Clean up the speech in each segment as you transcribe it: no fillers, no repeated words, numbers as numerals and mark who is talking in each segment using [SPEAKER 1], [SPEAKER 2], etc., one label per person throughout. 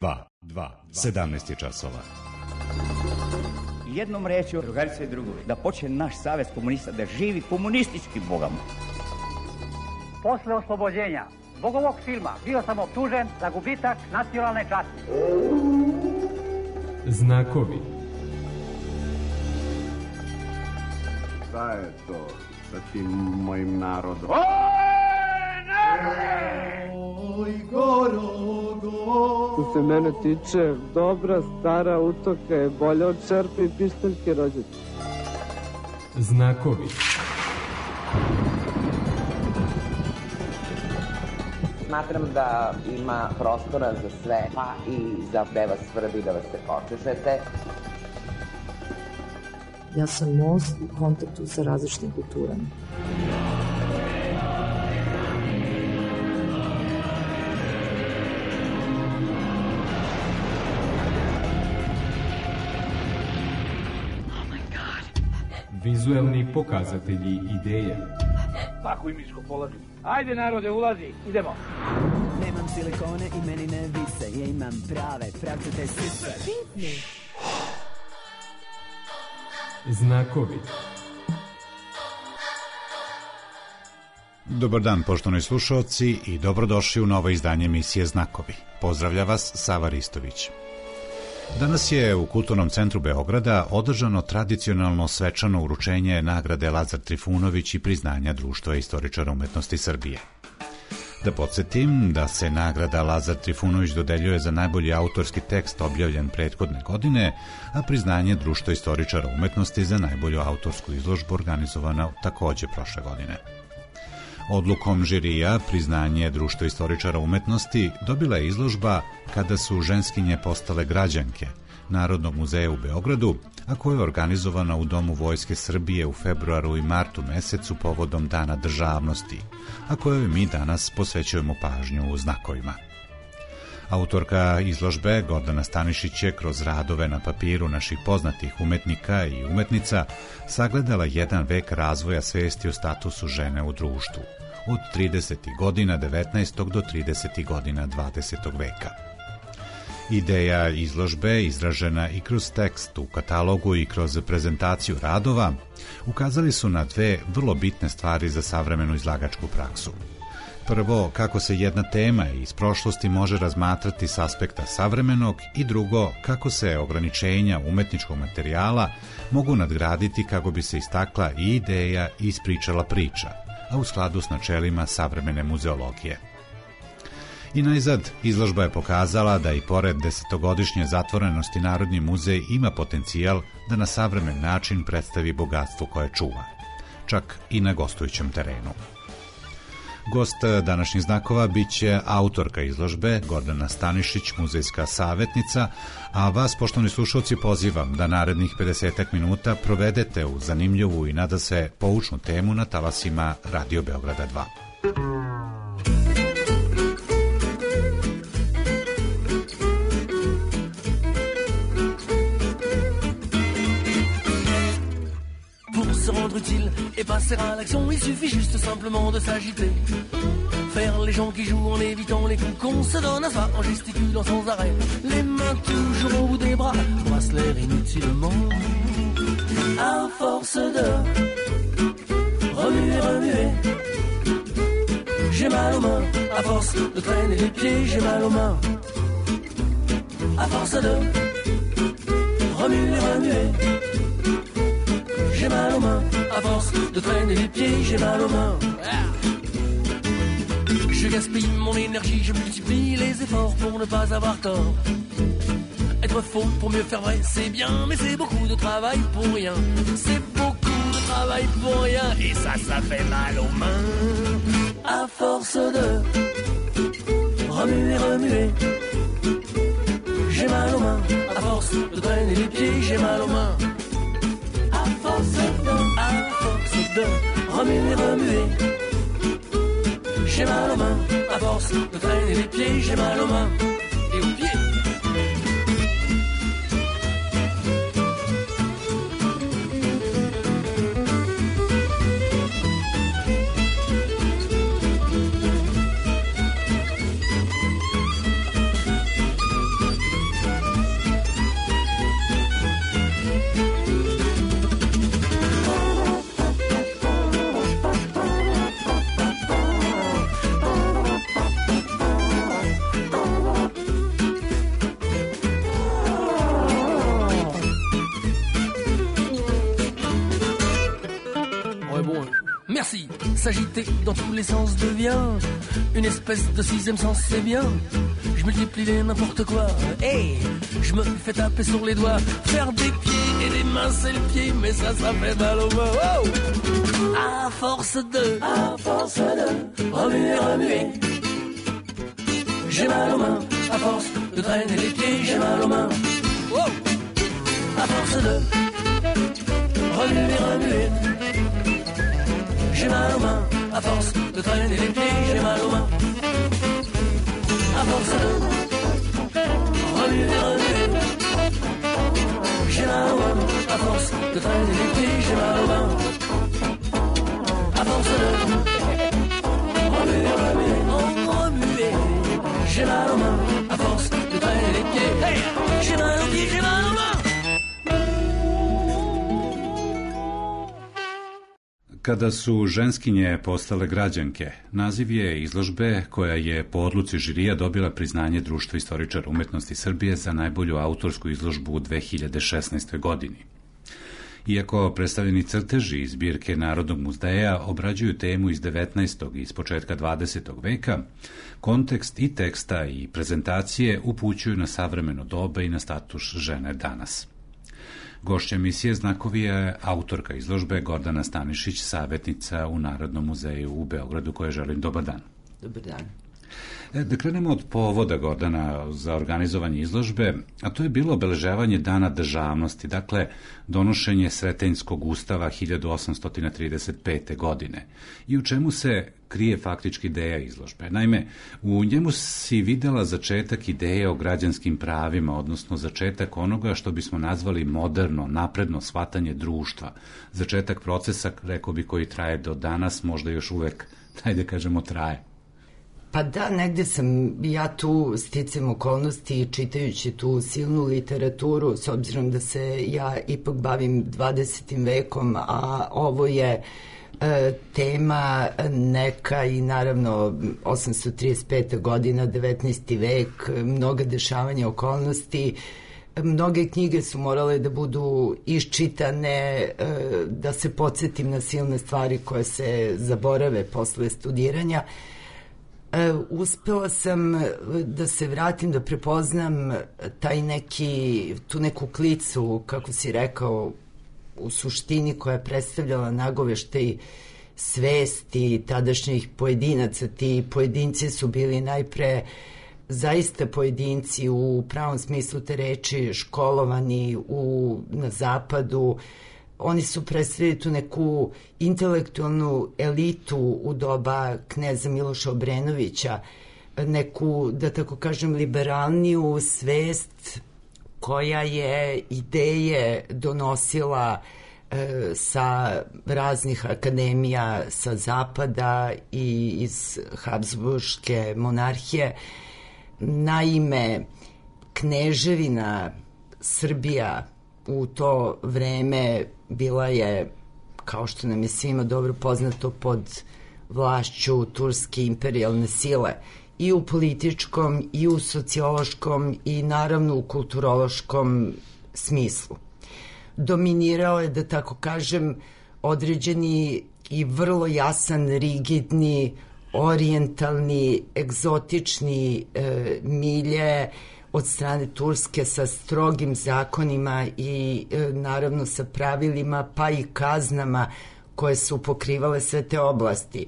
[SPEAKER 1] 17 je časova.
[SPEAKER 2] Jednom rečju, drugarice i drugovi, da počne naš savez komunista da živi komunistički bogom.
[SPEAKER 3] Posle oslobođenja zbog ovog filma bio sam optužen za gubitak nacionalne časti.
[SPEAKER 4] Znakovi.
[SPEAKER 5] Šta je to sa tim mojim narodom?
[SPEAKER 6] Oj,
[SPEAKER 7] Što se mene tiče, dobra stara utoka je bolja od čerpe i pištaljke rođaka.
[SPEAKER 4] Znakovi.
[SPEAKER 8] Smatram da ima prostora za sve, pa i za da vas svrbi, da vas se počešete.
[SPEAKER 9] Ja sam most u kontaktu sa različitim kulturama.
[SPEAKER 4] Vizuelni pokazatelji ideja.
[SPEAKER 3] Tako i miško polazi. Ajde narode, ulazi, idemo.
[SPEAKER 10] Nemam silikone i meni ne vise, ja imam prave pravcete sise.
[SPEAKER 4] Znakovi.
[SPEAKER 1] Dobar dan, poštovani slušaoci, i dobrodošli u novo izdanje emisije Znakovi. Pozdravlja vas Sava Ristović. Danas je u Kulturnom centru Beograda održano tradicionalno svečano uručenje nagrade Lazar Trifunović i priznanja Društva istoričara umetnosti Srbije. Da podsjetim da se nagrada Lazar Trifunović dodeljuje za najbolji autorski tekst objavljen prethodne godine, a priznanje Društva istoričara umetnosti za najbolju autorsku izložbu organizovana takođe prošle godine. Odlukom žirija priznanje Društva istoričara umetnosti dobila je izložba Kada su ženskinje postale građanke Narodnog muzeja u Beogradu, a koja je organizovana u Domu Vojske Srbije u februaru i martu mesecu povodom Dana državnosti, a kojoj mi danas posvećujemo pažnju u znakovima. Autorka izložbe Gordana Stanišić je kroz radove na papiru naših poznatih umetnika i umetnica sagledala jedan vek razvoja svesti o statusu žene u društvu, od 30. godina 19. do 30. godina 20. veka. Ideja izložbe, izražena i kroz tekst u katalogu i kroz prezentaciju radova, ukazali su na dve vrlo bitne stvari za savremenu izlagačku praksu. Prvo, kako se jedna tema iz prošlosti može razmatrati s aspekta savremenog, i drugo, kako se ograničenja umetničkog materijala mogu nadgraditi kako bi se istakla i ideja i ispričala priča, a u skladu s načelima savremene muzeologije. I najzad, izložba je pokazala da i pored desetogodišnje zatvorenosti Narodni muzej ima potencijal da na savremen način predstavi bogatstvo koje čuva, čak i na gostujućem terenu. Gost današnjih znakova biće autorka izložbe Gordana Stanišić, muzejska savetnica, a vas, poštovani slušalci, pozivam da narednih 50 minuta provedete u zanimljivu i nadasve poučnu temu na talasima Radio Beograda 2.
[SPEAKER 11] Se rendre utile et passer à l'action, il suffit juste simplement de s'agiter. Faire les gens qui jouent en évitant les coups qu'on se donne à soi, en gesticulant sans arrêt, les mains toujours au bout des bras, brasse l'air inutilement. À force de remuer, remuer, j'ai mal aux mains. À force de traîner les pieds, j'ai mal aux mains. À force de remuer, remuer, j'ai mal aux mains, à force de traîner les pieds, j'ai mal aux mains. Je gaspille mon énergie, je multiplie les efforts pour ne pas avoir tort. Être faux pour mieux faire vrai, c'est bien, mais c'est beaucoup de travail pour rien. C'est beaucoup de travail pour rien, et ça fait mal aux mains. À force de remuer, remuer, j'ai mal aux mains. À force de traîner les pieds, j'ai mal aux mains. À force de remuer, remuer, j'ai mal aux mains. À force de traîner les pieds, j'ai mal aux mains et aux pieds. s'agiter dans tous les sens devient une espèce de sixième sens, c'est bien. Je multiplie les n'importe quoi, hey, je me fais taper sur les doigts. Faire des pieds et des mains c'est le pied, mais ça fait mal aux mains. Oh, à force de remuer, remuer, j'ai mal aux mains. À force de traîner les pieds, j'ai mal aux mains. Oh, à force de remuer, remuer, j'ai mal aux mains. À force de traîner les pieds, j'ai mal aux mains. À force de remuer, remuer, j'ai mal aux mains. À force de traîner les pieds, j'ai mal aux mains. À force de remuer, remuer, j'ai mal aux mains. À force de traîner les pieds, hey, j'ai mal aux pieds, j'ai mal aux mains.
[SPEAKER 1] Kada su ženskinje postale građanke, naziv je izložbe koja je po odluci žirija dobila priznanje Društva istoričara umetnosti Srbije za najbolju autorsku izložbu u 2016. godini. Iako predstavljeni crteži iz zbirke Narodnog muzeja obrađuju temu iz 19. i iz početka 20. veka, kontekst i teksta i prezentacije upućuju na savremeno doba i na status žene danas. Gošća emisije Znakovi je autorka izložbe Gordana Stanišić, savjetnica u Narodnom muzeju u Beogradu, koje želim dobar dan.
[SPEAKER 6] Dobar dan.
[SPEAKER 1] Da krenemo od povoda, Gordana, za organizovanje izložbe, a to je bilo obeležavanje Dana državnosti, dakle donošenje Sretenjskog ustava 1835. godine. I u čemu se krije faktički ideja izložbe? Naime, u njemu si videla začetak ideje o građanskim pravima, odnosno začetak onoga što bismo nazvali moderno, napredno shvatanje društva. Začetak procesa, rekao bi, koji traje do danas, možda još uvek, hajde kažemo, traje.
[SPEAKER 6] Pa da, negde sam ja tu sticam okolnosti čitajući tu silnu literaturu, s obzirom da se ja ipak bavim 20. vekom, a ovo je tema neka i naravno 835. godina, 19. vek, mnoga dešavanja okolnosti. Mnoge knjige su morale da budu iščitane, da se podsjetim na silne stvari koje se zaborave posle studiranja. Uspela sam da se vratim, da prepoznam tu neku klicu, kako si rekao, u suštini koja je predstavljala nagoveštaj svesti tadašnjih pojedinaca. Ti pojedinci su bili najpre zaista pojedinci u pravom smislu te reči, školovani na zapadu. Oni su predstavili tu neku intelektualnu elitu u doba kneza Miloša Obrenovića, neku, da tako kažem, liberalniju svest koja je ideje donosila sa raznih akademija sa zapada i iz Habsburške monarhije. Naime, kneževina Srbija u to vreme bila je, kao što nam je svima dobro poznato, pod vlašću turske imperijalne sile i u političkom i u sociološkom i naravno u kulturološkom smislu. Dominirao je, da tako kažem, određeni i vrlo jasan, rigidni, orijentalni, egzotični milje od strane Turske sa strogim zakonima i naravno sa pravilima pa i kaznama koje su pokrivale sve te oblasti.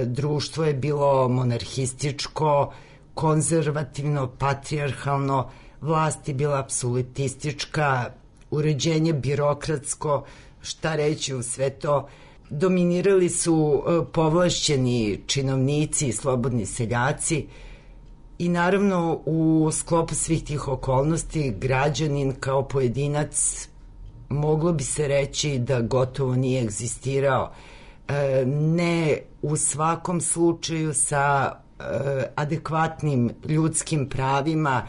[SPEAKER 6] Društvo je bilo monarhističko, konzervativno, patrijarhalno, vlast je bila apsolutistička, uređenje birokratsko, šta reći u sve to. Dominirali su povlašćeni činovnici i slobodni seljaci i naravno u sklopu svih tih okolnosti građanin kao pojedinac moglo bi se reći da gotovo nije egzistirao. Ne u svakom slučaju sa adekvatnim ljudskim pravima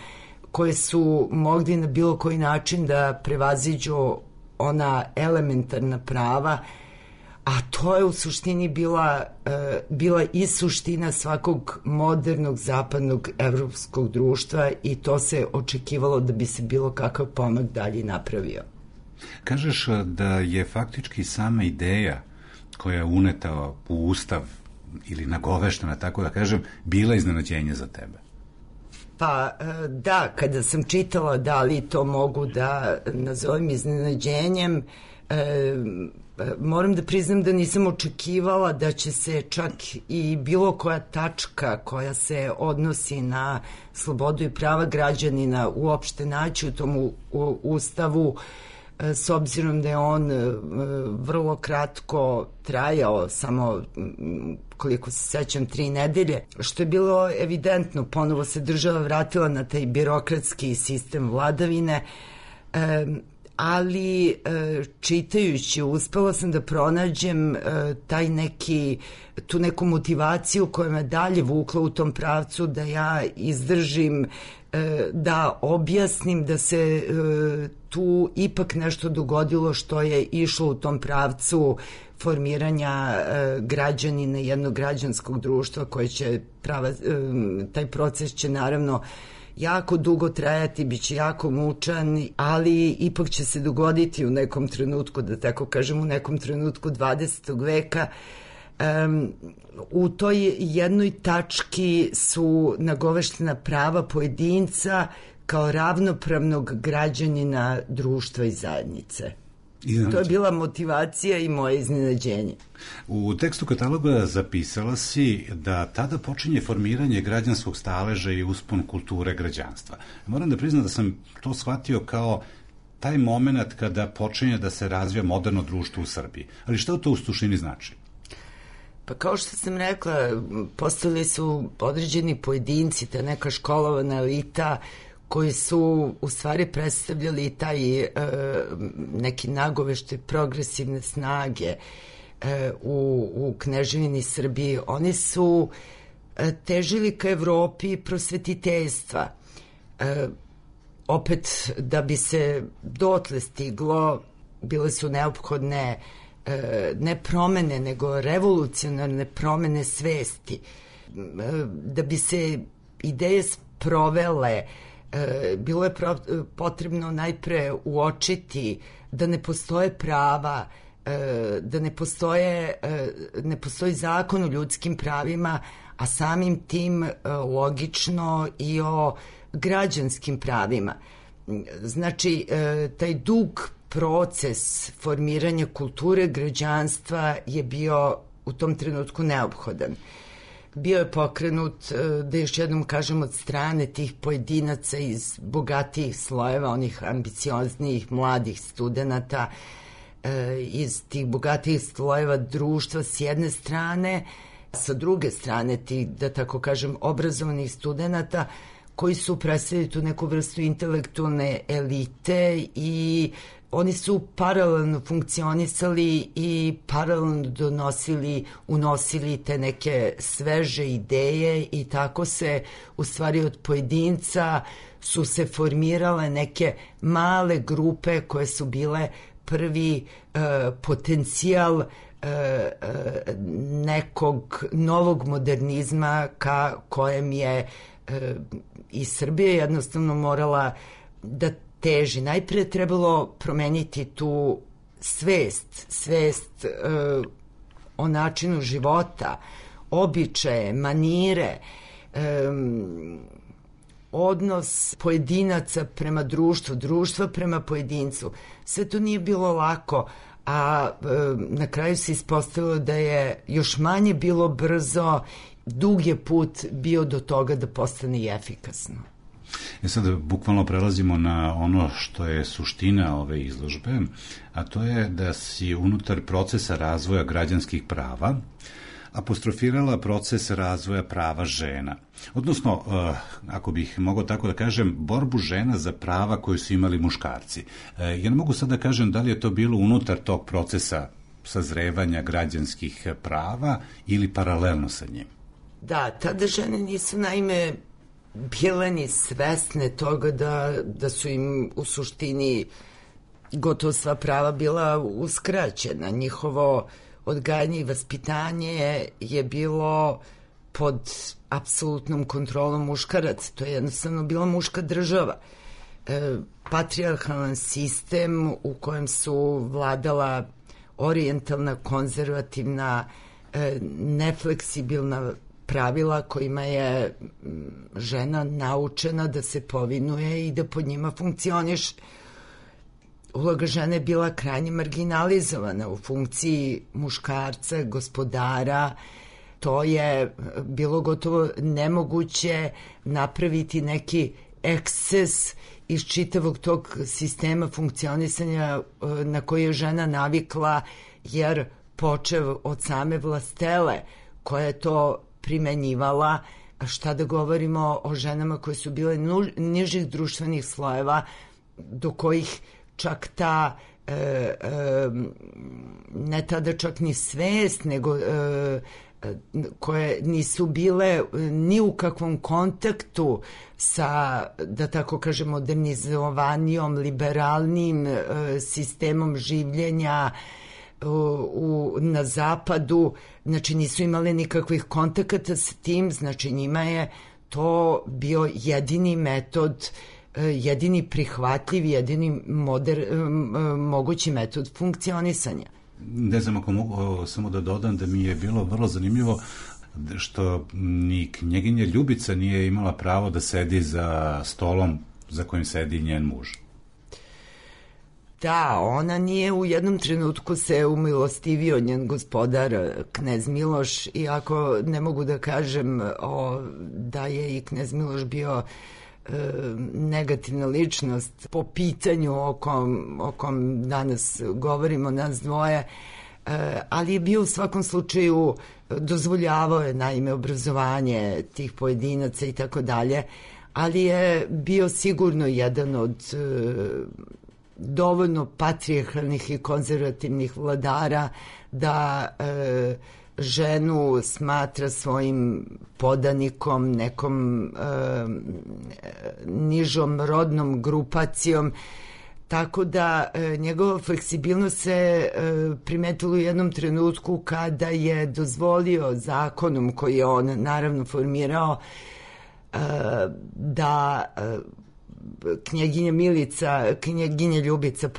[SPEAKER 6] koje su mogli na bilo koji način da prevaziđu ona elementarna prava, a to je u suštini bila i suština svakog modernog zapadnog evropskog društva i to se očekivalo da bi se bilo kakav pomak dalje napravio.
[SPEAKER 1] Kažeš da je faktički sama ideja koja je uneta u Ustav ili nagoveštena, tako da kažem, bila iznenađenje za tebe?
[SPEAKER 6] Pa da, kada sam čitala da li to mogu da nazovem iznenađenjem, moram da priznam da nisam očekivala da će se čak i bilo koja tačka koja se odnosi na slobodu i prava građanina uopšte naći u tom Ustavu, s obzirom da je on vrlo kratko trajao, samo koliko se sećam 3 nedelje, što je bilo evidentno, ponovo se država vratila na taj birokratski sistem vladavine, ali čitajući uspela sam da pronađem tu neku motivaciju koja me dalje vukla u tom pravcu da ja izdržim, da objasnim da se tu ipak nešto dogodilo što je išlo u tom pravcu formiranja građanina, jednog građanskog društva koje će taj proces će naravno jako dugo trajati, bit će jako mučan, ali ipak će se dogoditi u nekom trenutku, da tako kažem, u nekom trenutku 20. veka. U toj jednoj tački su nagoveštena prava pojedinca kao ravnopravnog građanina društva i zajednice. To je bila motivacija i moje iznenađenje.
[SPEAKER 1] U tekstu kataloga zapisala si da tada počinje formiranje građanskog staleža i uspon kulture građanstva. Moram da priznam da sam to shvatio kao taj moment kada počinje da se razvija moderno društvo u Srbiji. Ali šta to u suštini znači?
[SPEAKER 6] Pa kao što sam rekla, postali su određeni pojedinci, ta neka školovana elita koji su u stvari predstavljali taj neki nagoveštaj progresivne snage u Kneževini Srbiji. Oni su težili ka Evropi prosvetiteljstva. Opet, da bi se dotle stiglo, bile su neophodne ne promene, nego revolucionarne promene svesti. Da bi se ideje sprovele, bilo je potrebno najpre uočiti da ne postoje prava, da ne postoji zakon o ljudskim pravima, a samim tim logično i o građanskim pravima. Znači, taj dug proces formiranja kulture građanstva je bio u tom trenutku neophodan. Bio je pokrenut, da još jednom kažem, od strane tih pojedinaca iz bogatijih slojeva, onih ambicioznijih mladih studenata, iz tih bogatijih slojeva društva s jedne strane, sa druge strane tih, da tako kažem, obrazovanih studenata koji su predstavili tu neku vrstu intelektualne elite i oni su paralelno funkcionisali i paralelno unosili te neke sveže ideje i tako se u stvari od pojedinca su se formirale neke male grupe koje su bile prvi potencijal nekog novog modernizma ka kojem je i Srbija jednostavno morala da teži. Najpre je trebalo promeniti tu svest o načinu života, običaje, manire, odnos pojedinaca prema društvu, društva prema pojedincu. Sve to nije bilo lako, a na kraju se ispostavilo da je još manje bilo brzo, dug je put bio do toga da postane i efikasno.
[SPEAKER 1] Sad bukvalno prelazimo na ono što je suština ove izložbe, a to je da si unutar procesa razvoja građanskih prava apostrofirala proces razvoja prava žena. Odnosno, ako bih mogao tako da kažem, borbu žena za prava koje su imali muškarci. Ja ne mogu sad da kažem da li je to bilo unutar tog procesa sazrevanja građanskih prava ili paralelno sa njim.
[SPEAKER 6] Da, tada žene nisu naime bile ni svesne toga da su im u suštini gotovo sva prava bila uskraćena. Njihovo odgajanje i vaspitanje je bilo pod apsolutnom kontrolom muškaraca. To je jednostavno bila muška država. Patrijarhalan sistem u kojem su vladala orijentalna, konzervativna, nefleksibilna pravila kojima je žena naučena da se povinuje i da pod njima funkcioniše. Uloga žene je bila krajnje marginalizovana u funkciji muškarca, gospodara. To je bilo gotovo nemoguće napraviti neki eksces iz čitavog tog sistema funkcionisanja na koji je žena navikla, jer počev od same vlastele koja je to primenjivala, a šta da govorimo o ženama koje su bile nižih društvenih slojeva, do kojih čak ta ne tada čak ni svest, nego koje nisu bile ni u kakvom kontaktu sa, da tako kažem, modernizovanijom, liberalnim sistemom življenja na zapadu, znači nisu imali nikakvih kontakata sa tim, znači njima je to bio jedini metod, jedini prihvatljiv, jedini mogući metod funkcionisanja.
[SPEAKER 1] Ne znam ako mogu samo da dodam da mi je bilo vrlo zanimljivo što ni knjeginja Ljubica nije imala pravo da sedi za stolom za kojim sedi njen muž.
[SPEAKER 6] Da, ona nije u jednom trenutku se umilostivio njen gospodar knez Miloš, iako ne mogu da kažem da je i knez Miloš bio negativna ličnost po pitanju o kom danas govorimo nas dvoje, ali je bio u svakom slučaju, dozvoljavao je naime obrazovanje tih pojedinaca i tako dalje, ali je bio sigurno jedan od dovoljno patrijarhalnih i konzervativnih vladara da ženu smatra svojim podanikom, nekom nižom rodnom grupacijom, tako da njegova fleksibilnost se primetila u jednom trenutku kada je dozvolio zakonom koji je on naravno formirao da knjeginja Ljubica,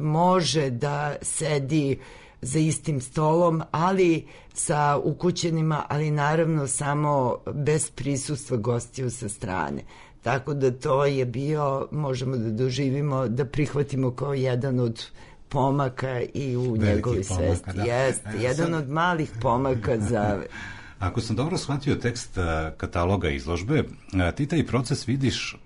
[SPEAKER 6] može da sedi za istim stolom, ali sa ukućenima, ali naravno samo bez prisustva gostiju sa strane. Tako da to je bio, možemo da doživimo, da prihvatimo kao jedan od pomaka i u njegovoj svesti.
[SPEAKER 1] Da.
[SPEAKER 6] Jeste, jedan od malih pomaka za...
[SPEAKER 1] Ako sam dobro shvatio tekst kataloga izložbe, ti taj proces vidiš,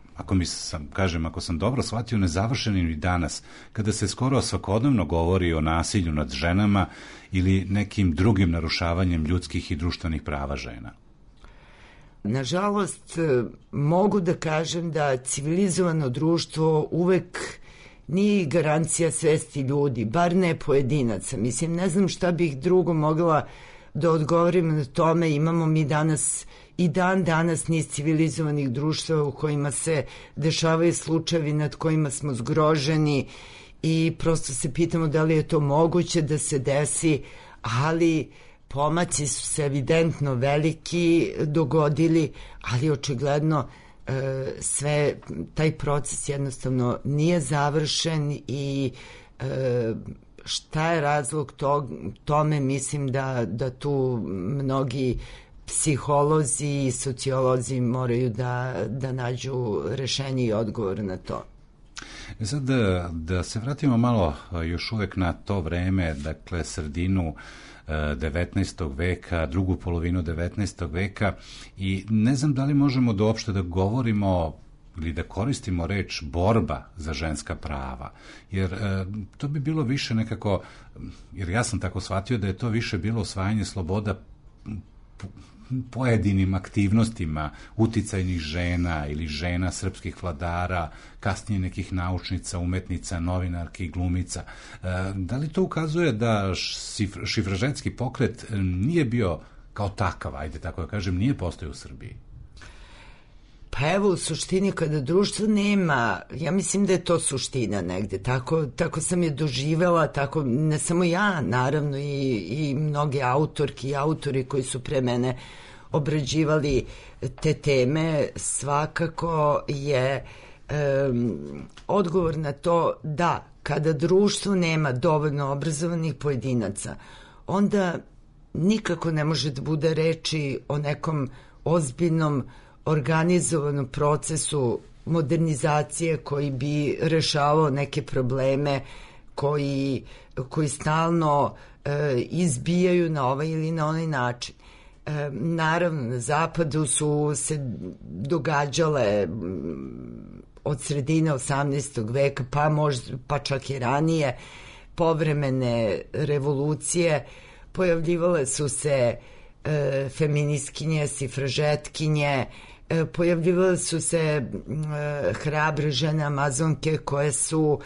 [SPEAKER 1] ako sam dobro shvatio, nezavršenim i danas, kada se skoro svakodnevno govori o nasilju nad ženama ili nekim drugim narušavanjem ljudskih i društvenih prava žena.
[SPEAKER 6] Nažalost, mogu da kažem da civilizovano društvo uvek nije garancija svesti ljudi, bar ne pojedinaca. Mislim, ne znam šta bih drugo mogla da odgovorim na tome. Imamo mi danas i dan danas niz civilizovanih društva u kojima se dešavaju slučajevi nad kojima smo zgroženi i prosto se pitamo da li je to moguće da se desi, ali pomaci su se evidentno veliki dogodili, ali očigledno sve, taj proces jednostavno nije završen i šta je razlog tome, mislim da tu mnogi psiholozi i sociolozi moraju da nađu rešenje i odgovor na to.
[SPEAKER 1] Sad da se vratimo malo još uvek na to vreme, dakle sredinu 19. veka, drugu polovinu 19. veka, i ne znam da li možemo uopšte da govorimo ili da koristimo reč borba za ženska prava, jer to bi bilo više nekako, jer ja sam tako shvatio da je to više bilo osvajanje sloboda pojedinim aktivnostima uticajnih žena ili žena srpskih vladara, kasnije nekih naučnica, umetnica, novinarki, glumica. Da li to ukazuje da šifraženski pokret nije bio kao takav, ajde tako da kažem, nije postojao u Srbiji?
[SPEAKER 6] Pa evo, u suštini kada društvo nema, ja mislim da je to suština negde, tako sam je doživela, tako ne samo ja, naravno i mnogi autorki i autori koji su pre mene obrađivali te teme, svakako je odgovor na to da kada društvo nema dovoljno obrazovanih pojedinaca, onda nikako ne može da bude reči o nekom ozbiljnom organizovanom procesu modernizacije koji bi rešavao neke probleme koji stalno izbijaju na ovaj ili na onaj način. Naravno, na zapadu su se događale od sredine 18. veka, pa čak i ranije, povremene revolucije. Pojavljivale su se feministkinje, sifražetkinje, pojavljivale su se hrabre žene amazonke koje su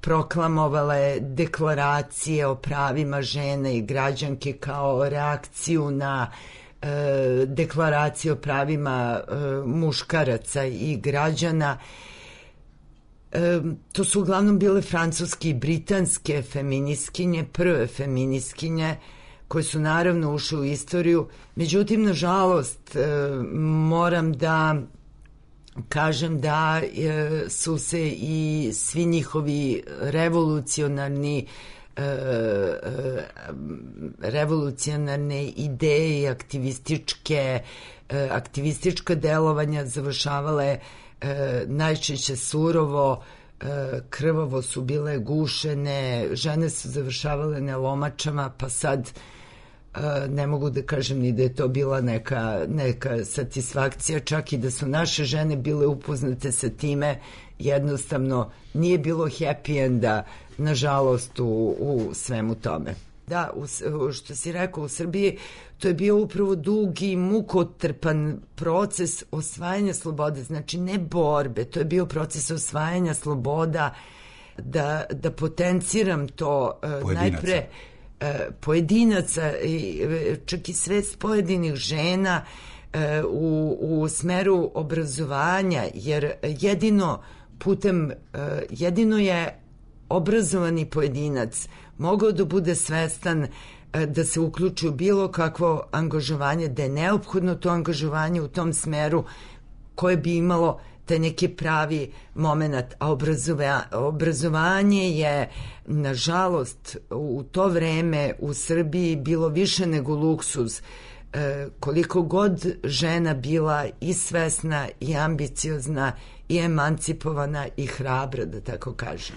[SPEAKER 6] proklamovale deklaracije o pravima žene i građanke kao reakciju na deklaraciju o pravima muškaraca i građana. To su uglavnom bile francuske i britanske feministkinje, prve feministkinje koje su naravno ušle u istoriju. Međutim, nažalost, moram da kažem da su se i svi njihovi revolucionarne ideje i aktivistička delovanja završavale najčešće surovo, krvavo su bile gušene, žene su završavale na lomačama, pa sad ne mogu da kažem ni da je to bila neka satisfakcija, čak i da su naše žene bile upoznate sa time, jednostavno nije bilo happy enda, nažalost, u svemu tome. Da, što si rekao, u Srbiji to je bio upravo dugi i mukotrpan proces osvajanja slobode, znači ne borbe, to je bio proces osvajanja sloboda, da potenciram to najpre pojedinaca, čak i svest pojedinih žena u smeru obrazovanja, jer jedino je obrazovani pojedinac mogao da bude svestan da se uključi u bilo kakvo angažovanje, da je neophodno to angažovanje u tom smeru koje bi imalo taj neki pravi moment, a obrazovanje je, nažalost, u to vreme u Srbiji bilo više nego luksuz. Koliko god žena bila i svesna i ambiciozna i emancipovana i hrabra, da tako kažem.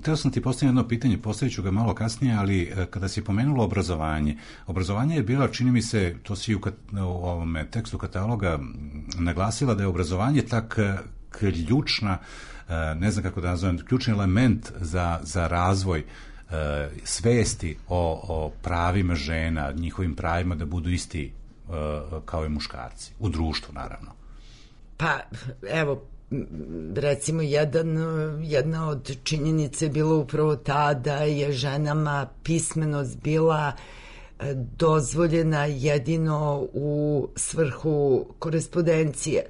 [SPEAKER 1] Teo sam ti postaviti jedno pitanje, postavit ću ga malo kasnije, ali kada si pomenula obrazovanje je bila, čini mi se, to si u ovom tekstu kataloga naglasila, da je obrazovanje tak ključna, ne znam kako da nazovem, ključni element za razvoj svesti o pravima žena, njihovim pravima da budu isti kao i muškarci, u društvu naravno.
[SPEAKER 6] Pa, evo, recimo jedna od činjenica je bila upravo ta da je ženama pismenost bila dozvoljena jedino u svrhu korespondencije.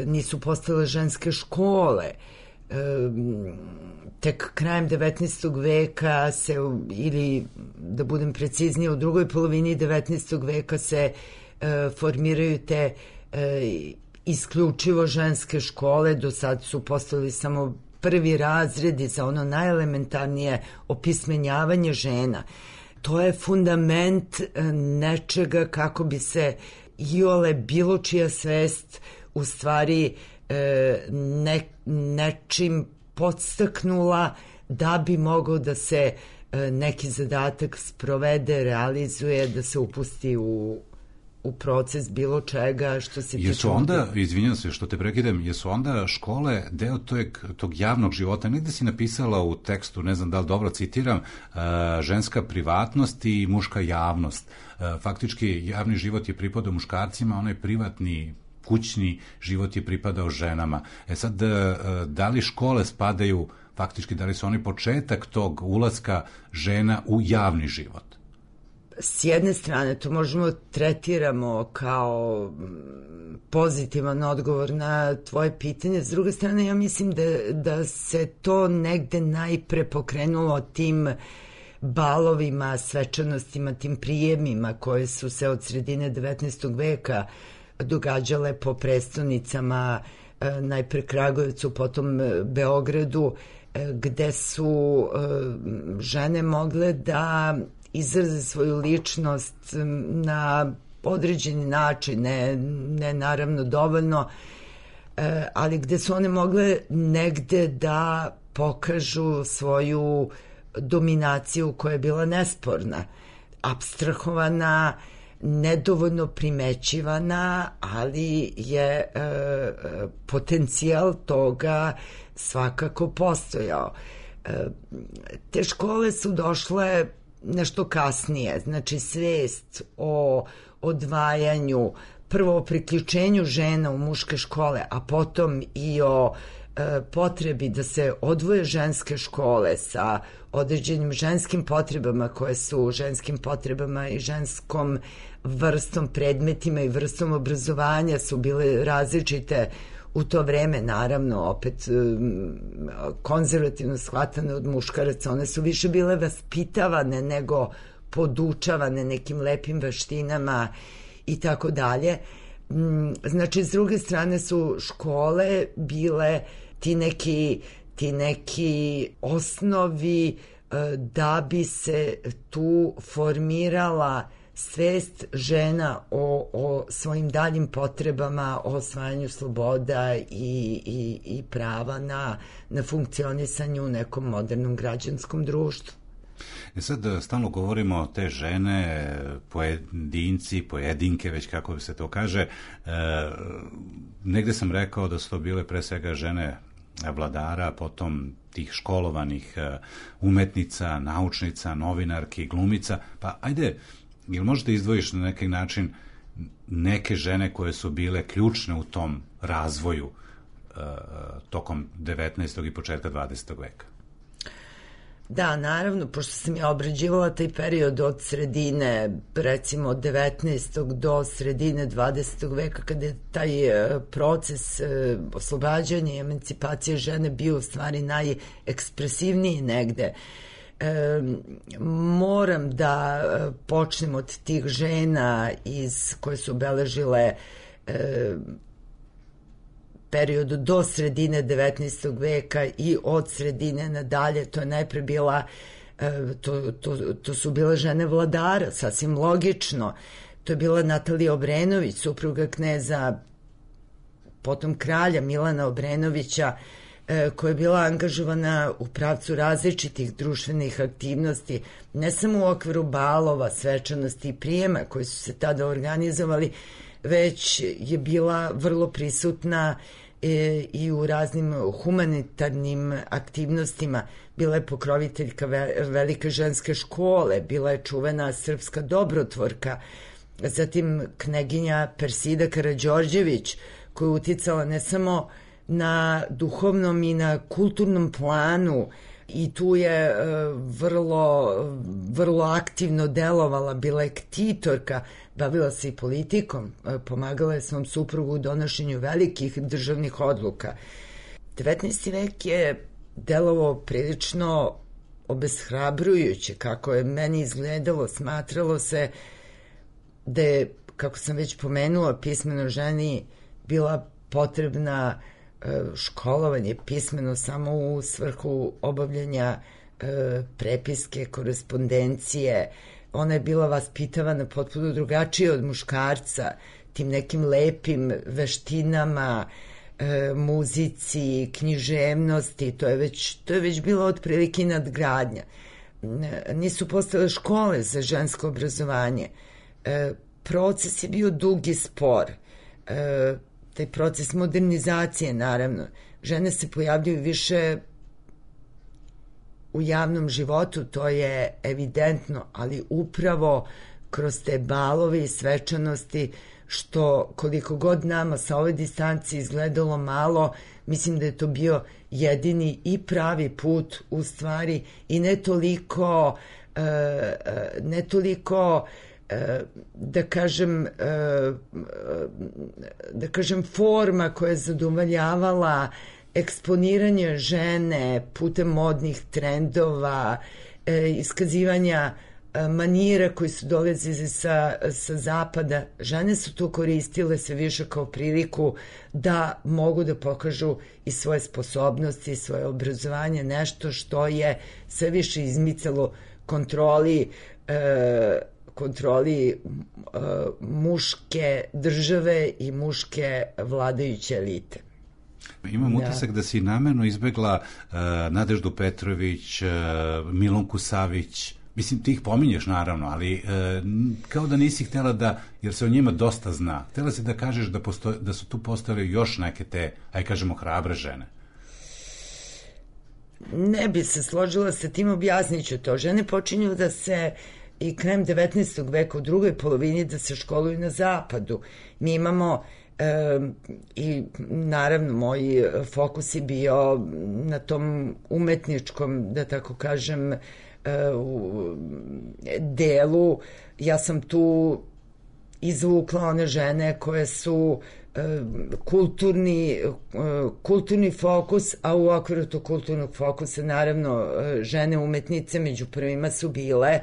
[SPEAKER 6] Nisu postale ženske škole. Tek krajem 19. veka se, ili da budem preciznija, u drugoj polovini 19. veka se formiraju te isključivo ženske škole. Do sad su postali samo prvi razredi za ono najelementarnije opismenjavanje žena. To je fundament nečega kako bi se iole bilo čija svest u stvari nečim podstaknula da bi mogao da se neki zadatak sprovede, realizuje, da se upusti u proces bilo čega što se tiče...
[SPEAKER 1] Jesu onda, izvinjam se što te prekidam, jesu onda škole deo tog javnog života? Negde si napisala u tekstu, ne znam da li dobro citiram, ženska privatnost i muška javnost. Faktički javni život je pripadao muškarcima, onaj privatni kućni život je pripadao ženama. Sad, da li škole spadaju, faktički, da li su oni početak tog ulaska žena u javni život?
[SPEAKER 6] S jedne strane, to možemo tretiramo kao pozitivan odgovor na tvoje pitanje. S druge strane, ja mislim da se to negde najpre pokrenulo tim balovima, svečanostima, tim prijemima koje su se od sredine 19. veka događale po prestonicama, najpre Kragujevcu, potom Beogradu, gde su žene mogle da izraze svoju ličnost na određeni način, ne naravno dovoljno, ali gde su one mogle negde da pokažu svoju dominaciju koja je bila nesporna, apstrahovana, nedovoljno primećivana, ali je potencijal toga svakako postojao. Te škole su došle nešto kasnije, znači svest o odvajanju, prvo o priključenju žena u muške škole, a potom i o potrebi da se odvoje ženske škole sa određenim ženskim potrebama koje su ženskim potrebama i ženskom vrstom predmetima i vrstom obrazovanja su bile različite u to vreme, naravno opet konzervativno shvatane od muškaraca. One su više bile vaspitavane nego podučavane nekim lepim veštinama i tako dalje. Znači, s druge strane su škole bile ti neki osnovi da bi se tu formirala svest žena o svojim daljim potrebama, o osvajanju sloboda i prava na funkcionisanju u nekom modernom građanskom društvu.
[SPEAKER 1] Sad stalno govorimo o te žene, pojedinci, pojedinke, već kako se to kaže. Negde sam rekao da su to bile pre svega žene vladara, potom tih školovanih umetnica, naučnica, novinarki, glumica. Pa ajde, jel možete izdvojiš na neki način neke žene koje su bile ključne u tom razvoju tokom 19. i početka 20. veka?
[SPEAKER 6] Da, naravno, pošto sam ja obrađivala taj period od sredine, recimo od 19. do sredine 20. veka, kada je taj proces oslobađanja i emancipacije žene bio u stvari najekspresivniji negde. Moram da počnem od tih žena koje su obeležile period do sredine 19. veka i od sredine nadalje. To je najpre bila to su bile žene vladara, sasvim logično. To je bila Natalija Obrenović, supruga kneza, potom kralja Milana Obrenovića, koja je bila angažovana u pravcu različitih društvenih aktivnosti, ne samo u okviru balova, svečanosti i prijema koji su se tada organizovali, već je bila vrlo prisutna i u raznim humanitarnim aktivnostima. Bila je pokroviteljka velike ženske škole, bila je čuvena srpska dobrotvorka, zatim kneginja Persida Karađorđević, koja je uticala ne samo na duhovnom i na kulturnom planu, i tu je vrlo aktivno delovala, bila je ktitorka, bavila se i politikom, pomagala je svom suprugu u donošenju velikih državnih odluka. 19. vek je delovao prilično obeshrabrujuće, kako je meni izgledalo. Smatralo se da je, kako sam već pomenula, pismeno ženi bila potrebna školovanje, pismeno samo u svrhu obavljanja prepiske, korespondencije. Ona je bila vaspitavana potpuno drugačije od muškarca, tim nekim lepim veštinama, muzici, književnosti. To je već bilo otprilike nadgradnja. Nisu postale škole za žensko obrazovanje. Proces je bio dug i spor. Taj proces modernizacije, naravno. Žene se pojavljuju više u javnom životu, to je evidentno, ali upravo kroz te balove i svečanosti, što koliko god nama sa ove distancije izgledalo malo, mislim da je to bio jedini i pravi put u stvari, i ne toliko da kažem forma koja je zadovoljavala eksponiranje žene putem modnih trendova, iskazivanja manira koji su dolazili sa zapada. Žene su to koristile sve više kao priliku da mogu da pokažu i svoje sposobnosti i svoje obrazovanje, nešto što je sve više izmicalo kontroli muške države i muške vladajuće elite.
[SPEAKER 1] Imam utisak da si namerno izbegla Nadeždu Petrović, Milunku Savić. Mislim, ti ih pominješ naravno, ali kao da nisi htjela da, jer se o njima dosta zna, htjela si da kažeš da su tu postojale još neke te, aj kažemo, hrabre žene.
[SPEAKER 6] Ne bi se složila sa tim, objasnit ću to. Žene počinju da se i krajem 19. veka, u drugoj polovini, da se školuju na zapadu. Mi imamo i naravno moj fokus je bio na tom umetničkom, da tako kažem, delu. Ja sam tu izvukla one žene koje su kulturni fokus, a u okviru tog kulturnog fokusa naravno žene umetnice, među prvima su bile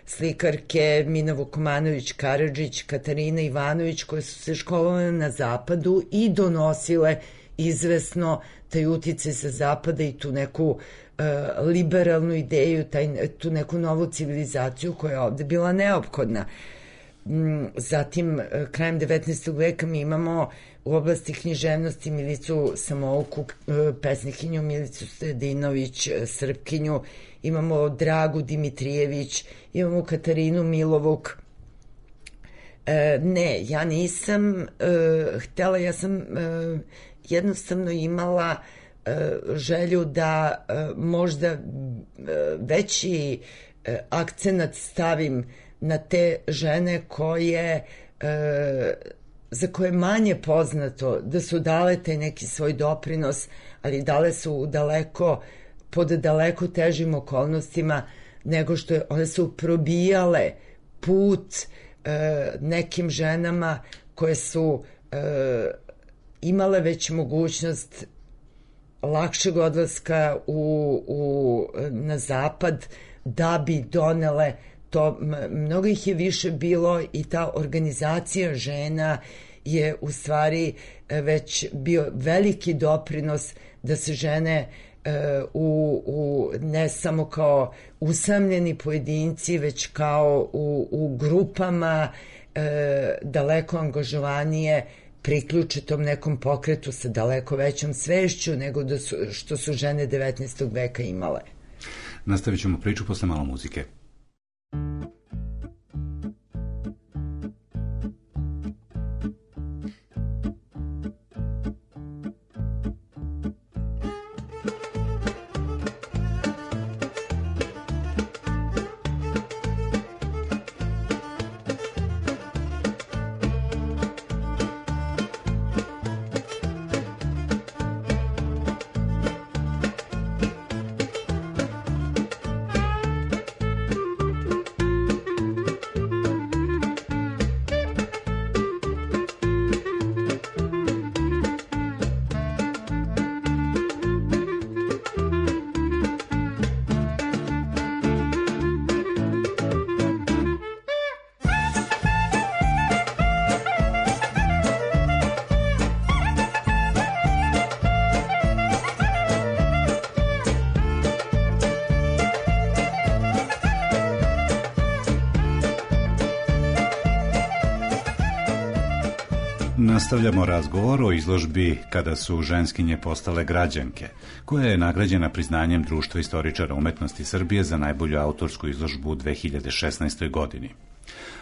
[SPEAKER 6] slikarke Mina Vukomanović Karadžić, Katarina Ivanović, koje su se školovale na zapadu i donosile izvesno taj uticaj sa zapada i tu neku liberalnu ideju, tu neku novu civilizaciju koja je ovde bila neophodna. Zatim, krajem 19. veka mi imamo u oblasti književnosti Milicu Samouku, pesnikinju Milicu Sredinović, Srpkinju, imamo Dragu Dimitrijević, imamo Katarinu Milovuk. Ne, ja nisam htela, ja sam jednostavno imala želju da možda veći akcenat stavim na te žene za koje je manje poznato da su dale taj neki svoj doprinos, ali dale su pod daleko težim okolnostima nego što one su probijale put nekim ženama koje su imale već mogućnost lakšeg odlaska na zapad da bi donele to. Mnogo ih je više bilo i ta organizacija žena je u stvari već bio veliki doprinos da se žene ne samo kao usamljeni pojedinci, već kao u grupama daleko angažovanije priključe tom nekom pokretu sa daleko većom svešću nego što su žene 19. veka imale.
[SPEAKER 1] Nastavit ćemo priču posle malo muzike. Nastavljamo razgovor o izložbi Kada su ženskinje postale građanke, koja je nagrađena priznanjem Društva istoričara umetnosti Srbije za najbolju autorsku izložbu u 2016. godini.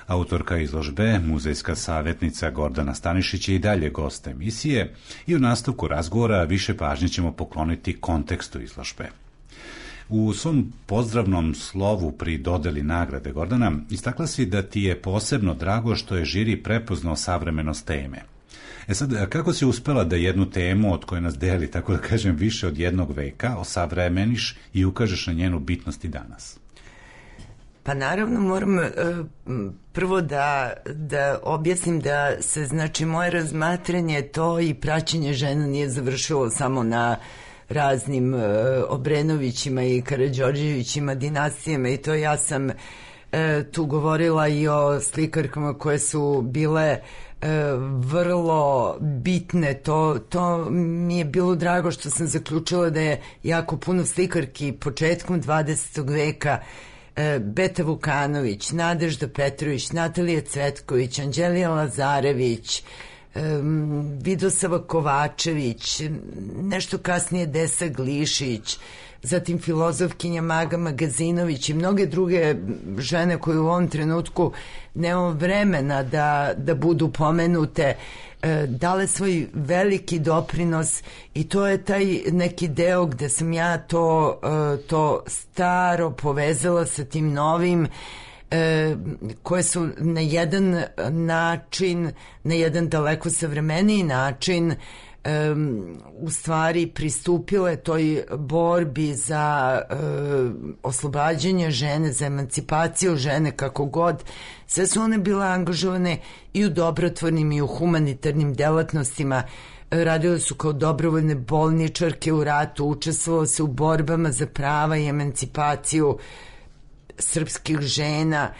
[SPEAKER 1] Autorka izložbe, muzejska savjetnica Gordana Stanišić je i dalje gost emisije i u nastavku razgovora više pažnje ćemo pokloniti kontekstu izložbe. U svom pozdravnom slovu pri dodeli nagrade, Gordana, istakla si da ti je posebno drago što je žiri prepoznao savremenost teme. Sad, kako si uspela da jednu temu od koje nas deli, tako da kažem, više od jednog veka, osavremeniš i ukažeš na njenu bitnost i danas?
[SPEAKER 6] Pa naravno moram prvo da objasnim da se, znači, moje razmatranje to i praćenje žena nije završilo samo na raznim Obrenovićima i Karađorđevićima dinastijama i to ja sam tu govorila i o slikarkama koje su bile vrlo bitne. To mi je bilo drago što sam zaključila da je jako puno slikarki početkom 20. veka, Beta Vukanović, Nadežda Petrović, Natalija Cvetković, Anđelija Lazarević, Vidosava Kovačević, nešto kasnije Desa Glišić, zatim filozofkinja Maga Magazinović i mnoge druge žene koje u ovom trenutku nemamo vremena da budu pomenute, dale svoj veliki doprinos i to je taj neki deo gde sam ja to staro povezala sa tim novim, koje su na jedan način, na jedan daleko savremeniji način u stvari pristupile toj borbi za oslobađanje žene, za emancipaciju žene, kako god. Sve su one bile angažovane i u dobrotvornim i u humanitarnim delatnostima. Radile su kao dobrovoljne bolničarke u ratu, učestvovale se u borbama za prava i emancipaciju srpskih žena.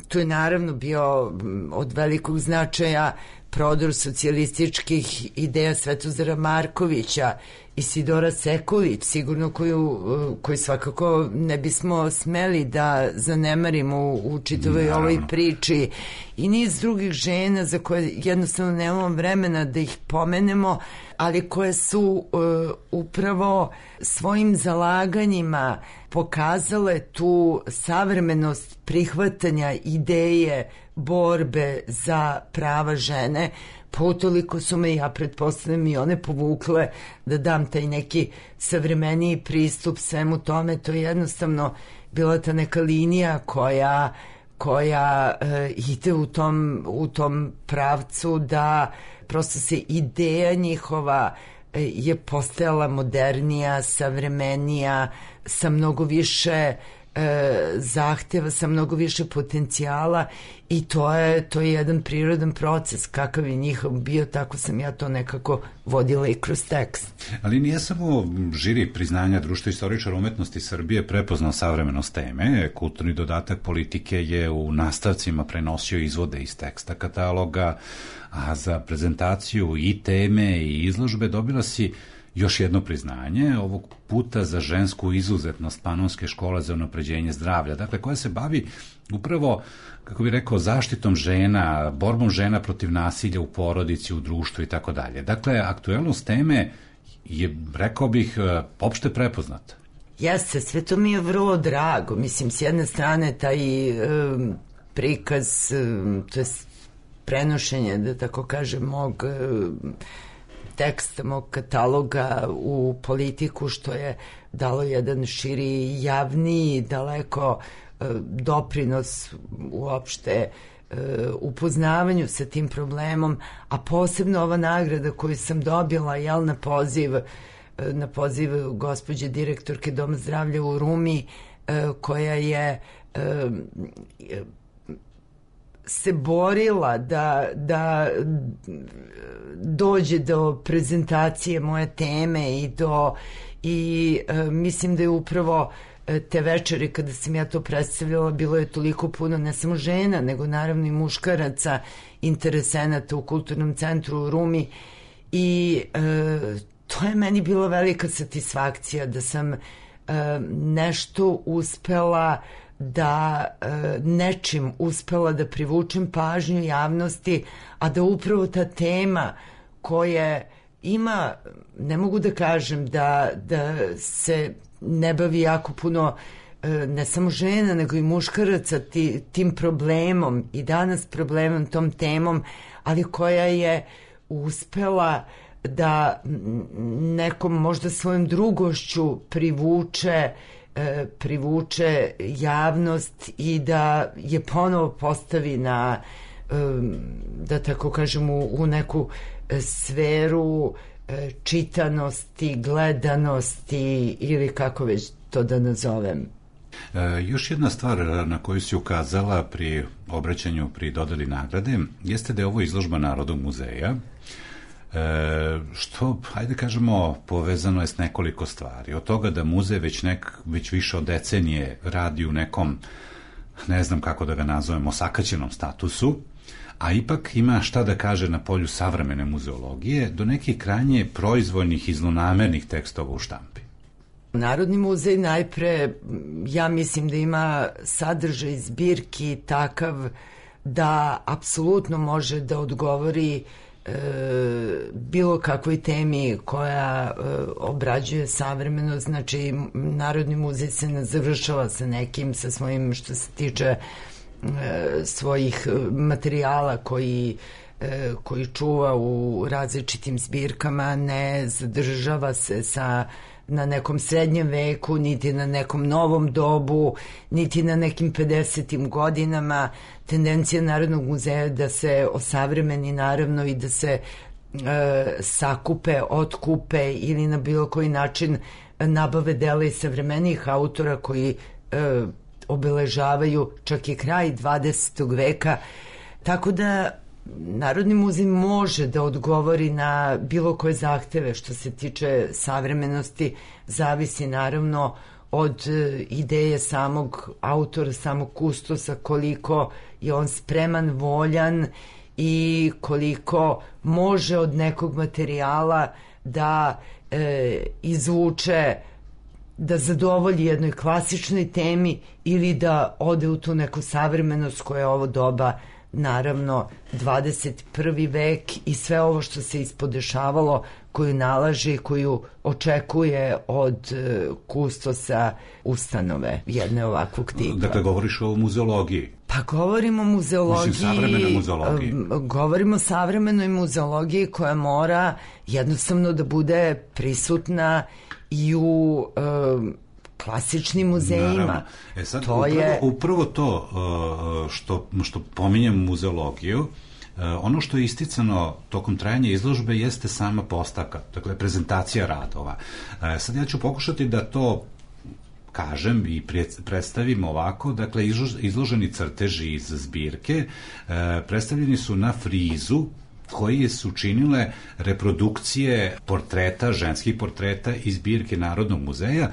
[SPEAKER 6] Tu je naravno bio od velikog značaja prodor socijalističkih ideja Svetozara Markovića, Isidora Sekulić, sigurno koju svakako ne bismo smeli da zanemarimo u čitavoj ovoj priči, i niz drugih žena za koje jednostavno nemamo vremena da ih pomenemo, ali koje su upravo svojim zalaganjima pokazale tu savremenost prihvatanja ideje borbe za prava žene. Pa utoliko su me, ja pretpostavljam, i one povukle da dam taj neki savremeniji pristup svemu tome. To je jednostavno bila ta neka linija koja ide u tom pravcu da prosto se ideja njihova je postajala modernija, savremenija, sa mnogo više zahteva, sa mnogo više potencijala, i to je jedan prirodan proces. Kakav je njihov bio, tako sam ja to nekako vodila i kroz tekst.
[SPEAKER 1] Ali nije samo žiri priznanja Društva istoričara umetnosti Srbije prepoznao savremenost teme. Kulturni dodatak politike je u nastavcima prenosio izvode iz teksta kataloga, a za prezentaciju i teme i izložbe dobila si još jedno priznanje, ovog puta za žensku izuzetnost Panonske škole za unapređenje zdravlja, dakle, koja se bavi upravo, kako bih rekao, zaštitom žena, borbom žena protiv nasilja u porodici, u društvu i tako dalje. Dakle, aktuelnost teme je, rekao bih, opšte prepoznata.
[SPEAKER 6] Jeste, sve to mi je vrlo drago. Mislim, s jedne strane taj prikaz, to je prenošenje, da tako kažem, mog teksta, mog kataloga u politiku, što je dalo jedan širi, javniji, daleko doprinos uopšte upoznavanju sa tim problemom, a posebno ova nagrada koju sam dobila, na poziv gospođe direktorke Doma zdravlja u Rumi, koja je se borila da dođe do prezentacije moje teme i mislim da je upravo te večeri kada sam ja to predstavljala bilo je toliko puno ne samo žena, nego naravno i muškaraca interesenata u Kulturnom centru u Rumi, i to je meni bila velika satisfakcija da sam nešto uspela nečim uspela da privučem pažnju javnosti, a da upravo ta tema koje ima, ne mogu da kažem da se ne bavi jako puno ne samo žena, nego i muškaraca tim problemom, i danas problemom, tom temom, ali koja je uspela da nekom možda svojom drugošću privuče javnost i da je ponovo postavi na, da tako kažem, u neku sferu čitanosti, gledanosti ili kako već to da nazovem.
[SPEAKER 1] Još jedna stvar na koju si ukazala pri obraćanju, pri dodeli nagrade, jeste da je ovo izložba Narodnog muzeja, što, hajde kažemo, povezano je s nekoliko stvari. Od toga da muzej već više od decenije radi u nekom ne znam kako da ga nazovem, osakaćenom statusu, a ipak ima šta da kaže na polju savremene muzeologije do nekih krajnje proizvoljnih i zlonamernih tekstova u štampi.
[SPEAKER 6] Narodni muzej najpre, ja mislim da ima sadržaj zbirki takav da apsolutno može da odgovori bilo kakvoj temi koja obrađuje savremeno. Znači, Narodni muzej se ne završava sa nekim, sa svojim, što se tiče svojih materijala koji čuva u različitim zbirkama, ne zadržava se na nekom srednjem veku, niti na nekom novom dobu, niti na nekim 50. godinama. Tendencija Narodnog muzeja da se osavremeni, naravno, i da se sakupe, otkupe ili na bilo koji način nabave dela i savremenih autora koji obeležavaju čak i kraj 20. veka. Tako da Narodni muzej može da odgovori na bilo koje zahteve što se tiče savremenosti, zavisi naravno od ideje samog autora, samog kustosa, koliko je on spreman, voljan i koliko može od nekog materijala da izvuče, da zadovolji jednoj klasičnoj temi ili da ode u tu neku savremenost koja je ovo doba, naravno 21. vek i sve ovo što se ispodešavalo, koju nalaže i koju očekuje od kustosa ustanove jedne ovakvog tipa.
[SPEAKER 1] Dakle, govoriš o muzeologiji.
[SPEAKER 6] Pa govorimo o muzeologiji.
[SPEAKER 1] Mislim, savremenoj muzeologiji.
[SPEAKER 6] Govorimo o savremenoj muzeologiji koja mora jednostavno da bude prisutna i u klasičnim muzejima.
[SPEAKER 1] Sad, upravo to što pominjem muzeologiju, ono što je isticano tokom trajanja izložbe jeste sama postavka, dakle prezentacija radova. Sad ja ću pokušati da to kažem i predstavim ovako. Dakle, izloženi crteži iz zbirke predstavljeni su na frizu koji su činile reprodukcije portreta, ženskih portreta iz zbirke Narodnog muzeja,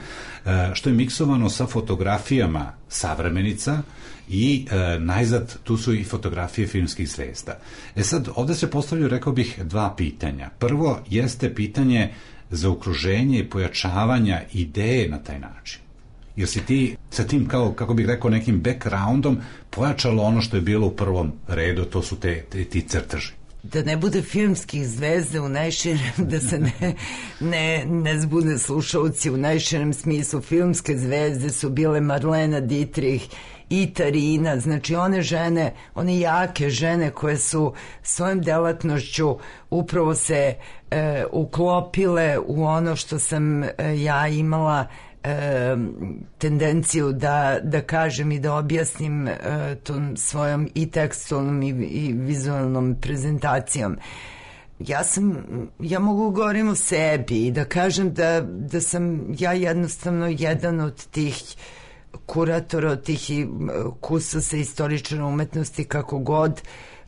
[SPEAKER 1] što je miksovano sa fotografijama savremenica i najzad tu su i fotografije filmskih zvezda. Sad, ovde se postavljaju, rekao bih, dva pitanja. Prvo jeste pitanje zaokruženja i pojačavanja ideje na taj način. Jer si ti sa tim, kako bih rekao, nekim backgroundom pojačalo ono što je bilo u prvom redu, to su ti crteži.
[SPEAKER 6] Da ne bude filmskih zvezda u najširem, da se ne zbune slušalci, u najširem smislu filmske zvezde su bile Marlena Dietrich i Tarina, znači one žene, one jake žene koje su svojom delatnošću upravo se uklopile u ono što sam ja imala tendenciju da kažem i da objasnim tom svojom i tekstualnom i vizualnom prezentacijom. Ja mogu govorim o sebi i da kažem da sam ja jednostavno jedan od tih kuratora, od tih kustosa istoričara umetnosti, kako god,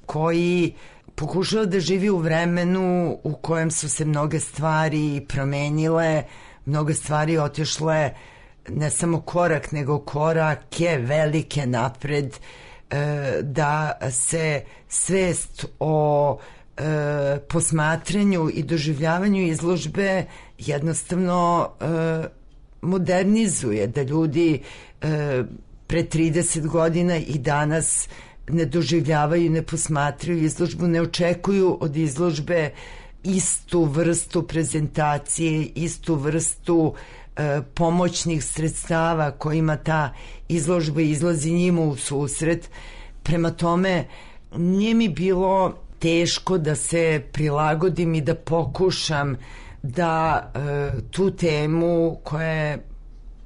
[SPEAKER 6] koji pokušao da živi u vremenu u kojem su se mnoge stvari promenile, mnoge stvari otišle ne samo korak, nego korake velike napred, da se svest o posmatranju i doživljavanju izložbe jednostavno modernizuje, da ljudi pre 30 godina i danas ne doživljavaju, ne posmatraju izložbu, ne očekuju od izložbe istu vrstu prezentacije, istu vrstu pomoćnih sredstava kojima ta izložba izlazi njima u susret. Prema tome, nije mi bilo teško da se prilagodim i da pokušam da tu temu koja je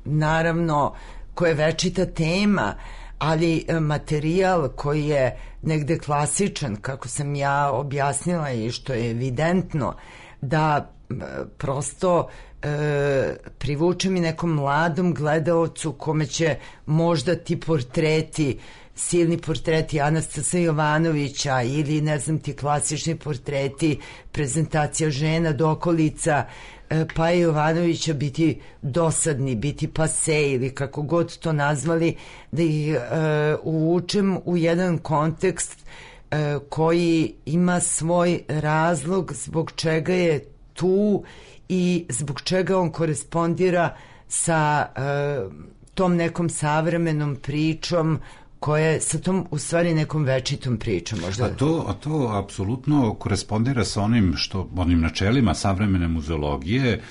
[SPEAKER 6] naravno, koja je večita tema, ali materijal koji je negde klasičan, kako sam ja objasnila i što je evidentno, da prosto privučem i nekom mladom gledaocu kome će možda ti portreti, silni portreti Anastasa Jovanovića ili ne znam ti klasični portreti, prezentacija žena, dokolica, Paje Jovanovića biti dosadni, biti pase ili kako god to nazvali, da ih uvučem u jedan kontekst koji ima svoj razlog zbog čega je tu i zbog čega on korespondira sa tom nekom savremenom pričom koja sa tom u stvari nekom večitom pričom možda.
[SPEAKER 1] A to apsolutno korespondira sa onim načelima savremene muzeologije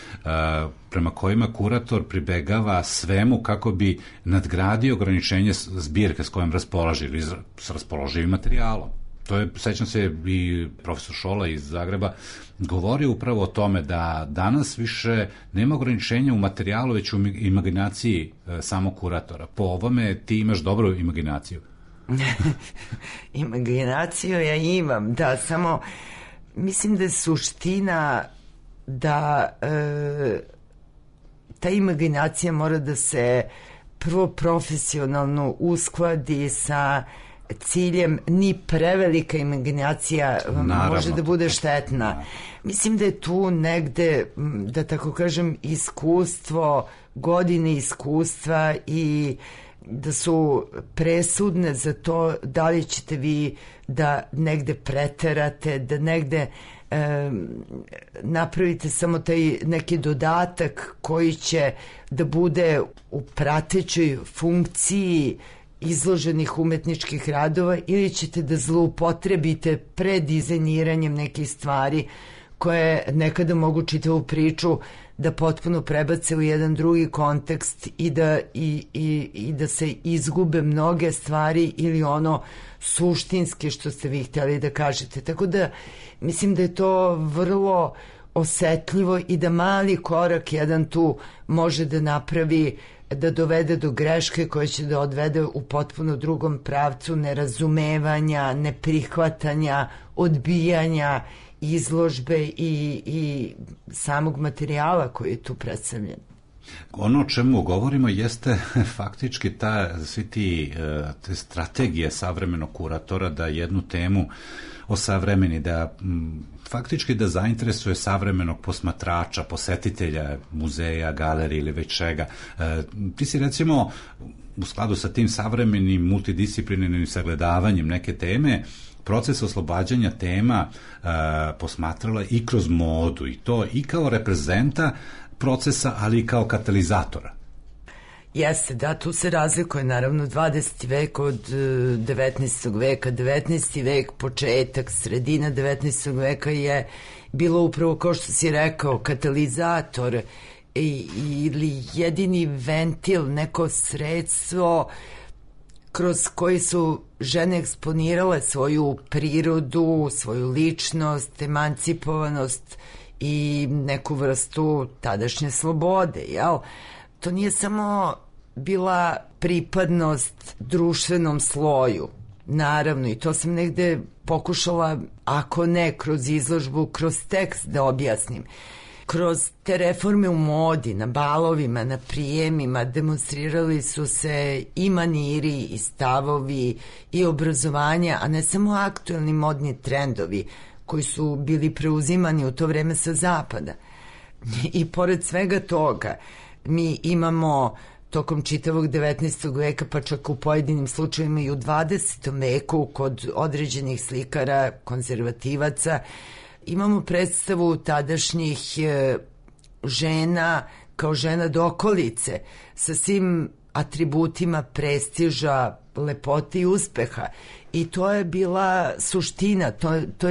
[SPEAKER 1] prema kojima kurator pribegava svemu kako bi nadgradio ograničenje zbirke s kojom raspolaže ili s raspoloživim materijalom. To je, sećam se, i profesor Šola iz Zagreba govori upravo o tome da danas više nema ograničenja u materijalu, već u imaginaciji samog kuratora. Po ovome ti imaš dobru imaginaciju.
[SPEAKER 6] Imaginaciju ja imam, da, samo mislim da je suština da ta imaginacija mora da se prvo profesionalno uskladi sa ciljem. Ni prevelika imaginacija može da bude štetna. Mislim da je tu negde, da tako kažem, iskustvo, godine iskustva i da su presudne za to da li ćete vi da negde preterate, da negde napravite samo taj neki dodatak koji će da bude u pratećoj funkciji izloženih umetničkih radova, ili ćete da zloupotrebite predizajniranjem nekih stvari koje nekada mogu čitavu priču da potpuno prebace u jedan drugi kontekst i da se izgube mnoge stvari ili ono suštinske što ste vi htjeli da kažete. Tako da mislim da je to vrlo osetljivo i da mali korak jedan tu može da napravi, da dovede do greške koja će da odvede u potpuno drugom pravcu nerazumevanja, neprihvatanja, odbijanja izložbe i samog materijala koji je tu predstavljen.
[SPEAKER 1] Ono o čemu govorimo jeste faktički svi te strategije savremenog kuratora da jednu temu osavremeni, da faktički da zainteresuje savremenog posmatrača, posetitelja muzeja, galerije ili već čega. Ti si recimo u skladu sa tim savremenim multidisciplinarnim sagledavanjem neke teme proces oslobađanja tema posmatrala i kroz modu, i to i kao reprezenta procesa, ali i kao katalizatora.
[SPEAKER 6] Jeste, da, tu se razlikuje naravno 20. vek od 19. veka. 19. vek, početak, sredina 19. veka je bilo upravo, kao što si rekao, katalizator ili jedini ventil, neko sredstvo kroz koji su žene eksponirale svoju prirodu, svoju ličnost, emancipovanost i neku vrstu tadašnje slobode, jel? To nije samo bila pripadnost društvenom sloju, naravno, i to sam negde pokušala, ako ne kroz izložbu, kroz tekst da objasnim. Kroz te reforme u modi, na balovima, na prijemima demonstrirali su se i maniri i stavovi i obrazovanja, a ne samo aktuelni modni trendovi koji su bili preuzimani u to vreme sa zapada. I pored svega toga, mi imamo tokom čitavog 19. veka, pa čak u pojedinim slučajima i u 20. veku kod određenih slikara, konzervativaca, imamo predstavu tadašnjih žena kao žena dokolice sa svim atributima prestiža, lepote i uspeha. I to je bila suština, to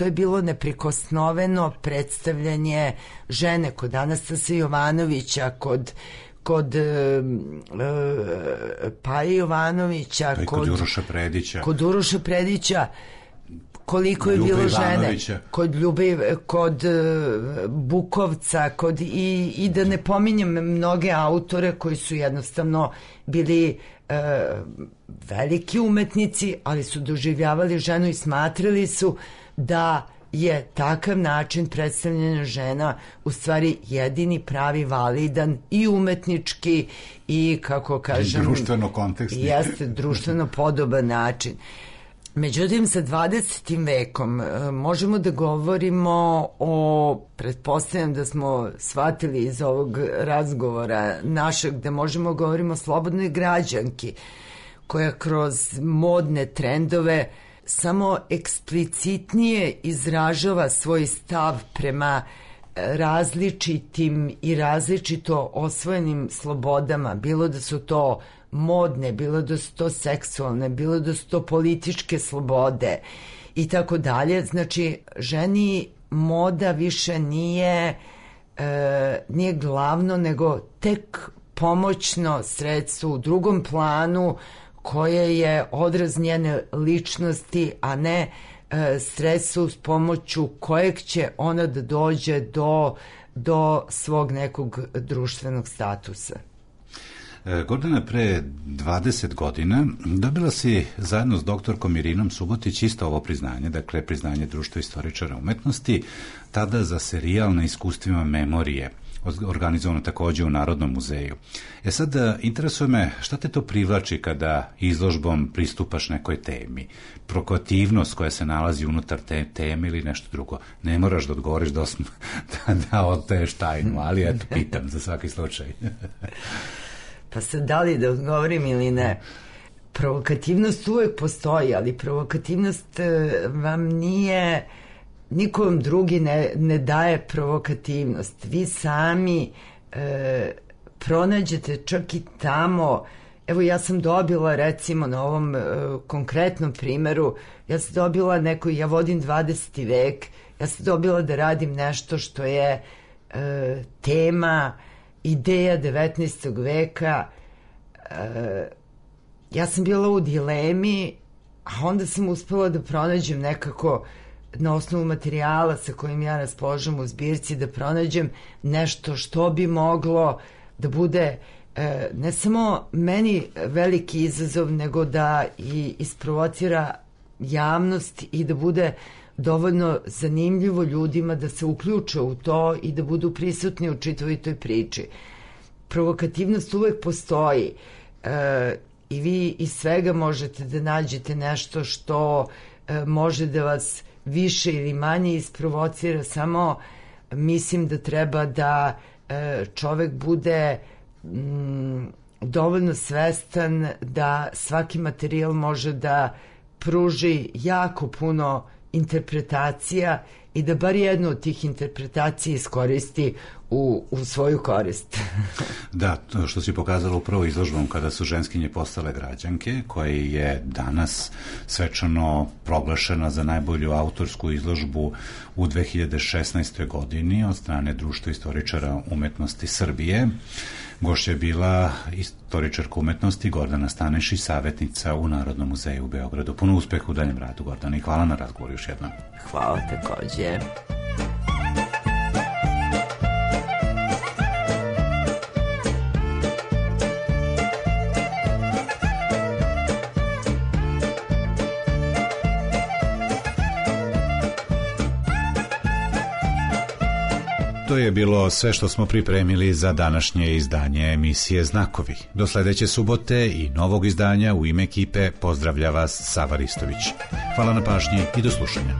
[SPEAKER 6] je bilo neprikosnoveno predstavljanje žene kod Anastasa Jovanovića, kod Paje Jovanovića,
[SPEAKER 1] kod
[SPEAKER 6] Uroša Predića, koliko je bilo žene, kod Bukovca, i da ne pominjem mnoge autore koji su jednostavno bili veliki umetnici, ali su doživljavali ženu i smatrali su da je takav način predstavljena žena u stvari jedini pravi, validan i umetnički i, kako kažem,
[SPEAKER 1] društveno kontekstni.
[SPEAKER 6] Jeste, društveno podoban način. Međutim, sa 20. vekom možemo da govorimo o, pretpostavljam da smo shvatili iz ovog razgovora našeg, da možemo govorimo o slobodnoj građanki, koja kroz modne trendove samo eksplicitnije izražava svoj stav prema različitim i različito osvojenim slobodama, bilo da su to modne, bilo da su to seksualne, bilo da su to političke slobode i tako dalje. Znači, ženi moda više nije glavno, nego tek pomoćno sredstvo u drugom planu koje je odraz njene ličnosti, a ne sredstvo s pomoću kojeg će ona da dođe do svog nekog društvenog statusa.
[SPEAKER 1] Gordana, pre 20 godina dobila si zajedno s doktorkom Irinom Subotić isto ovo priznanje, dakle priznanje društva istoričara umetnosti, tada za serijal na iskustvima memorije, organizovano takođe u Narodnom muzeju. Sad, interesuje me šta te to privlači kada izložbom pristupaš nekoj temi? Provokativnost koja se nalazi unutar te teme ili nešto drugo? Ne moraš da odgovoriš da otaješ tajnu, ali eto, pitam za svaki slučaj.
[SPEAKER 6] Pa sad, da li da odgovorim ili ne? Provokativnost uvek postoji, ali provokativnost vam nije... Niko vam drugi ne daje provokativnost. Vi sami pronađete čak i tamo. Evo, ja sam dobila, recimo, na ovom konkretnom primeru, ja sam dobila ja vodim 20. vek, ja sam dobila da radim nešto što je tema, ideja 19. veka. Ja sam bila u dilemi, a onda sam uspela da pronađem nekako na osnovu materijala sa kojim ja raspolažem u zbirci, da pronađem nešto što bi moglo da bude ne samo meni veliki izazov, nego da i isprovocira javnost i da bude dovoljno zanimljivo ljudima da se uključe u to i da budu prisutni u čitavoj toj priči. Provokativnost uvek postoji i vi iz svega možete da nađete nešto što može da vas više ili manje isprovocira, samo mislim da treba da čovek bude dovoljno svestan da svaki materijal može da pruži jako puno interpretacija i da bar jednu od tih interpretacija iskoristi u svoju korist.
[SPEAKER 1] Da, to što si pokazala upravo izložbom kada su ženskinje postale građanke, koja je danas svečano proglašena za najbolju autorsku izložbu u 2016. godini od strane Društva istoričara umetnosti Srbije. Gošća je bila istoričarka umetnosti Gordana Stanešić, savjetnica u Narodnom muzeju u Beogradu. Puno uspeha u daljem radu, Gordana, i hvala na razgovoru još jednom.
[SPEAKER 6] Hvala takođe.
[SPEAKER 1] To je bilo sve što smo pripremili za današnje izdanje emisije Znakovi. Do sledeće subote i novog izdanja u ime ekipe pozdravlja vas Sava Ristović. Hvala na pažnji i do slušanja.